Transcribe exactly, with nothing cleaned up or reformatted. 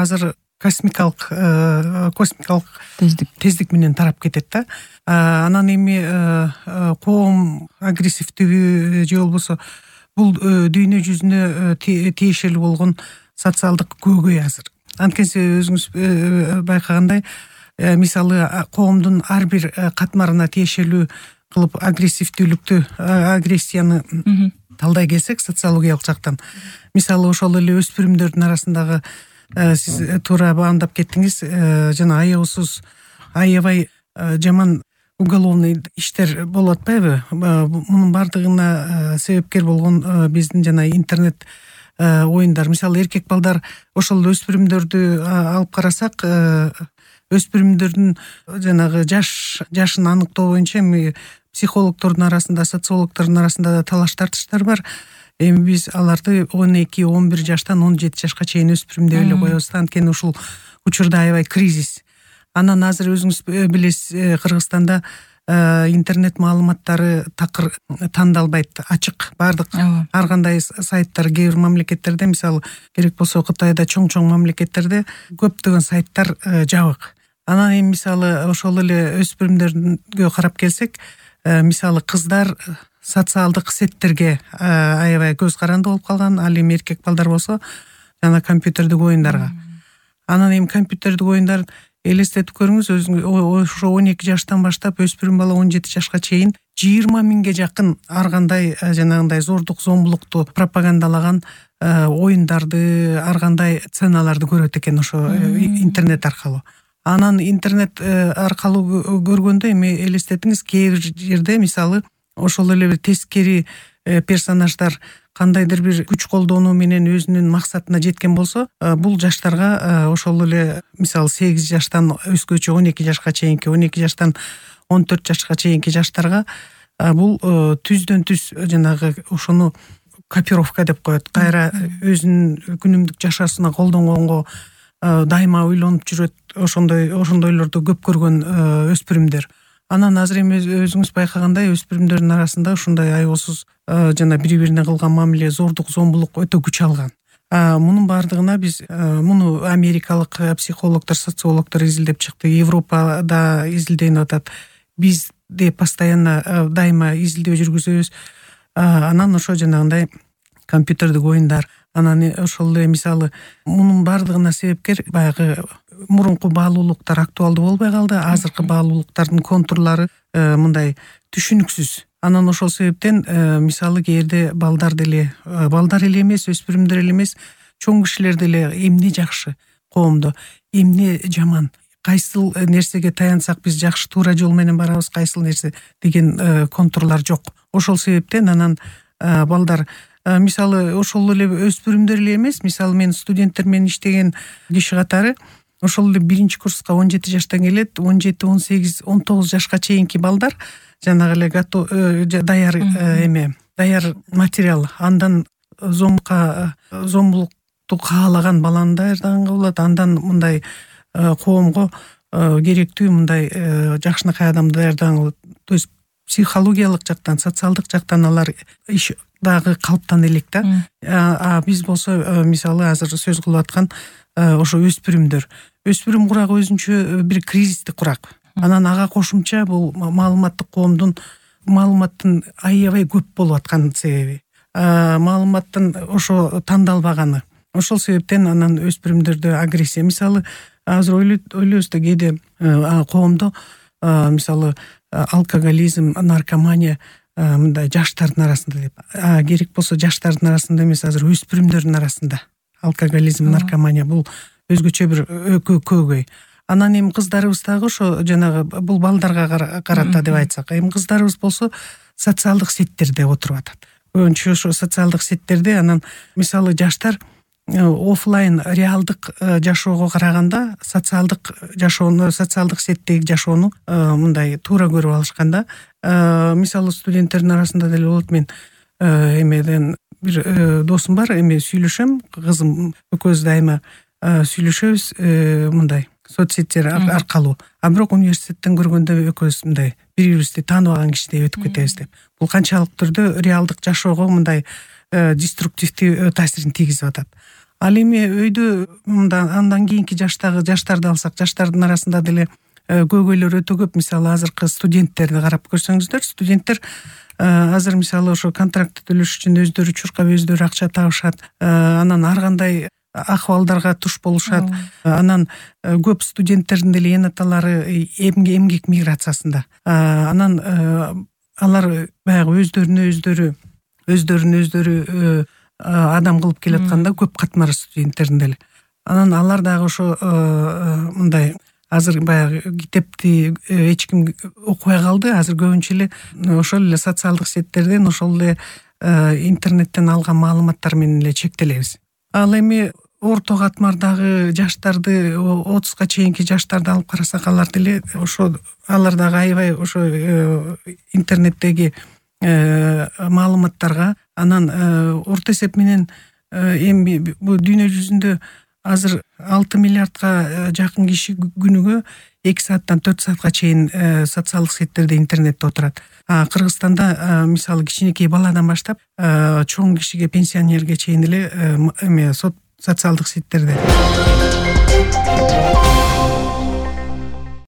азыр космикалык космикалык тездик тездик менен тарап кетет да. Анан эми коом агрессивдүүбү же болбосо бул дүйнө жүзүнө тиешелүү болгон социалдык көйгөй азыр. Анткени өзүңүз байкагандай, мисалы коомдун ар бир катмарына тиешелүү кылып агрессивдүүлүктү, агрессияны талдай келсек социологиялык жактан, мисалы ошол эле өспүрүмдөрдүн арасындагы сиз туура баамдап кеттиңиз, жана аябсыз аябай жаман уголовный иштер болуп атпайбы? Мунун бардыгына себепкер болгон биздин жана интернет оюндар. Мисалы эркек балдар ошол өспүрүмдөрдү алып карасак, өспүрүмдөрдүн жанагы жаш жашын аныктоо боюнча эми психологдордун арасында, социологдордун арасында да талаш тартыштар бар. Эми биз аларды он эки он бир жаштан он жети жашка чейин өспүрүм деп эле коебуз. Анткени ушул учурда аябай кризис. Анан азыр өзүңүз билесиз, Кыргызстанда интернет маалыматтары такыр тандалбайт, ачык, бардык ар кандай сайттар, кээ бир мамлекеттерде, мисалы керек болсо Кытайда, чоң-чоң мамлекеттерде көптөгөн сайттар жабык. Анан эми мисалы ошол эле өспүрүмдөргө карап келсек, мисалы кыздар социалдык сеттерге аябай көз каранды болуп калган, ал эми эркек балдар болсо жана компьютердик оюндарга. Анан эми компьютердик оюндар элестетип көрүңүз, өзүңүз ошо он эки жаштан баштап өспүрүм бала он жети жашка чейин жыйырма миңге жакын ар кандай жанагындай зордук, зомбулукту пропагандалаган оюндарды, ар кандай сценаларды көрөт экен ошо интернет аркылуу. Анан интернет аркылуу көргөндө эми элестетиңиз, кээ бир жерде мисалы ошол эле тескери персонаждар кандайдыр бир күч колдонуу менен өзүнүн максатына жеткен болсо, бул жаштарга ошол эле мисалы сегиз жаштан өскөчө он эки жашка чейинки, он эки жаштан он төрт жашка чейинки жаштарга бул түздөн түз жанагы ошону копировка деп коет. Кайра өзүнүн күнүмдүк жашоосуна колдонгонго дайыма ойлонуп жүрөт, ошондой ошондойлорду көп көргөн өспүрүмдөр. Анан азыр эми өзүңүз байкагандай, өспүрүмдөрдүн арасында ушундай аябсыз жана бири-бирине кылган мамиле, зордук, зомбулук өтө күч алган. Мунун бардыгына биз муну америкалык психологдор, социологдор изилдеп чыкты, Европада изилденип атат. Биз де постоянно дайыма изилдөө жүргүзөбүз. Анан ошо жанагындай компьютердик оюндар, анан ошол эле мисалы мунун бардыгына себепкер баягы мурунку баалуулуктар актуалдуу болбой калды. Азыркы баалуулуктардын контурлары мындай түшүнүксүз. Анан ошол себептен мисалы кээде балдар деле, балдар эле эмес, өспүрүмдөр эле эмес, чоң кишилер деле эмне жакшы коомдо, эмне жаман, кайсыл нерсеге таянсак биз жакшы туура жол менен барабыз, кайсыл нерсе деген контурлар жок. Ошол себептен анан балдар мисалы ошол эле өспүрүмдөр эле эмес, мисалы мен студенттер менен иштеген киши катары ошол эле биринчи курска он жети жаштан келет, он жети, он сегиз, он тогуз жашка чейинки балдар жанагы эле даяр эме, даяр материал, андан зомка зомбулукту каалаган баланы даярдаган болот, андан мындай коомго керектүү мындай жакшынакай адамды даярдаган болот. То есть психологиялык жактан, социалдык жактан алар иш дагы калыптан элек да. А биз болсо мисалы азыр сөз кылып аткан ошо өспүрүмдөр. Өспүрүм курагы өзүнчө бир кризистик курак. Анан ага кошумча бул маалыматтык коомдун маалыматтын аябай көп болуп аткан себеби, маалыматтын ошо тандалбаганы. Ошол себептен анан өспүрүмдөрдө агрессия, мисалы азыр ойлойбуз да кээде коомдо мисалы алкоголизм, наркомания мындай жаштардын арасында деп. Керек болсо жаштардын арасында эмес, азыр өспүрүмдөрдүн арасында алкоголизм, наркомания бул өзгөчө бир көйгөй. Анан эми кыздарыбыз дагы ошо жанагы бул балдарга карата деп айтсак, эми кыздарыбыз болсо социалдык сеттерде отуруп атат. Көбүнчө ошо социалдык сеттерде анан мисалы жаштар офлайн реалдык жашоого караганда социалдык жашоону, социалдык сеттеги жашоону мындай туура көрүп алышканда, мисалы студенттердин арасында деле болот. Мен эмеден бир досум бар, эми сүйлөшөм, кызым экөөбүз дайыма сүйлөшөбүз мындай соцсеттер аркылуу. А бирок университеттен көргөндө экөөбүз мындай бири-бирибизди тааныбаган кишидей өтүп кетебиз деп. Бул канчалык түрдө реалдык жашоого мындай деструктивдүү таасирин тийгизип атат. Ал эми өйдө мындан андан кийинки жаштагы жаштарды алсак, жаштардын арасында деле көйгөйлөр өтө көп. Мисалы азыркы студенттерди карап көрсөңүздөр, студенттер азыр мисалы ошо контракт төлөш үчүн өздөрү чуркап, өздөрү акча табышат, анан ар кандай акыбалдарга туш болушат. Анан көп студенттердин деле эне аталары эмгек миграциясында. Анан алар баягы өздөрүнө өздөрү өздөрүн өздөрү адам кылып келатканда көп катмар студенттердин деле. Анан алар дагы ошо мындай азыр баягы китепти эч ким окубай калды. Азыр көбүнчө эле ошол эле социалдык сеттерден, ошол эле интернеттен алган маалыматтар менен эле чектелебиз. Ал эми орто катмардагы жаштарды, отузга чейинки жаштарды алып карасак, алар деле ошо алар дагы аябай ошо интернеттеги маалыматтарга, анан орто эсеп менен эми бул дүйнө жүзүндө азыр алты миллиардка жакын киши күнүгө эки сааттан төрт саатка чейин социалдык сеттерде, интернетте отурат. Кыргызстанда мисалы кичинекей баладан баштап чоң кишиге, пенсионерге чейин эле эме социалдык сеттерде.